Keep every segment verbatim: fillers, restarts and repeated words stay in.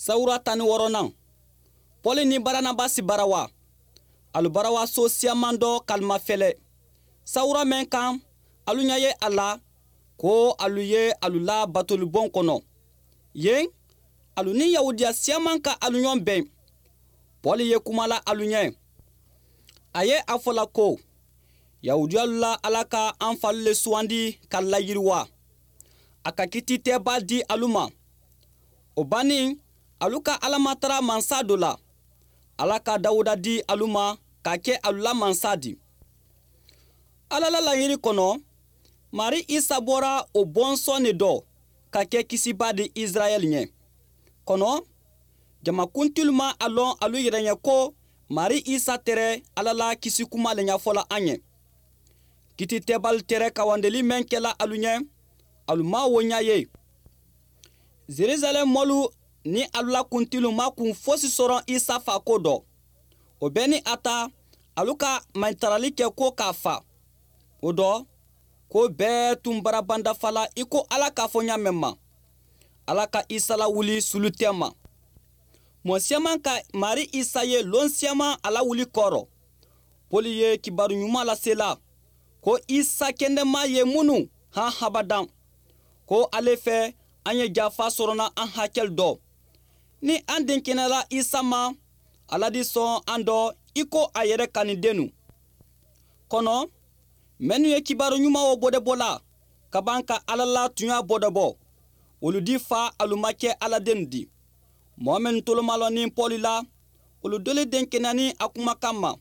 Sawura tan ni wɔɔrɔnan. Pɔli ni baranabasi bara wa? Alu bara wa soo siyaman dɔ ka alu mafele sawura meŋ kaŋ alu ɲa ye a la, ko alu ye alu la batoliboŋ kono. Yen alu niŋ yahudiya siyaman ka alu ɲoŋ beŋ. Pɔli ye kuma la alu ɲe. A ye a fo la ko, yahudiyalu la ala ka an falu le suwandi ka alu la yiriwa. A ka kiiti teebaa di alu ma. Wo baniŋ, alu ka ala matara mansa do la. Ala ka dawuda di alu ma ka ke alu la mansa di. Ala la laɲiri kono, maarii isa bora wo bonsoo ne do ka ke kisibaa di isirayeli ɲe. Kono jama kuntilu maŋ a loŋ alu yere ɲe ko maarii isa tere ala la kisikumaa le ɲafo la a ɲe. Kiiti teebaalu tere kawandeli meŋ ke la alu ɲe, alu maŋ wo ɲa ye. Zerizalem moolu niŋ alu la kuntilu maŋ kuŋ fosi soroŋ isa faako do. Wo bee niŋ a ta alu ka mayitarali ke ko ka a faa. Wo do ko bee tuŋ barabanda fala i ko ala ka a fo ɲaameŋ ma. Ala ka isa la wuli sulu teema. Moo siyamaŋ ka maarii isa ye loŋ siyamaŋ a la wuli kooro. Poli ye kibaaru ɲumaa lasee la ko isa kendemaa ye munu haŋ habadaŋ. Ko ale fee a ɲe jaafaa soroŋ na a hakelu do. Niŋ a denkenela isa ma a la di soŋ a do i ko a yere kanindennu. Kono mennu ye kibaaru ɲumaa wo bodobo la kabaŋ ka ala la tuɲaa bodobo, wolu di faa alu ma ke ala dennu di. Moo mennu tolomaloniŋ poli la, wolu doli denkenani a kumakaŋ ma.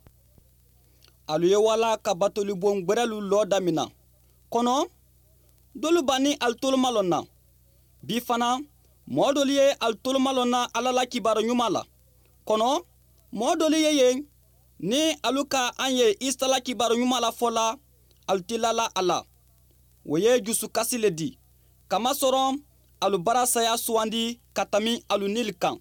Alu ye walla ka batoliboŋ gberelu loo damina. Kono dolu baniŋ alu tolomalonna. Bii fanaa moo dolu ye alu tolomalonna ala la kibaaru ɲumaa la. Kono moo dolu ye yen niŋ alu ka aŋ ye isa la kibaaru ɲumaa la fo la, alu ti lala a la. Wo ye jusu kasi le di. Kamasoroŋ alu bara saya suwandi ka tami alu niili kaŋ.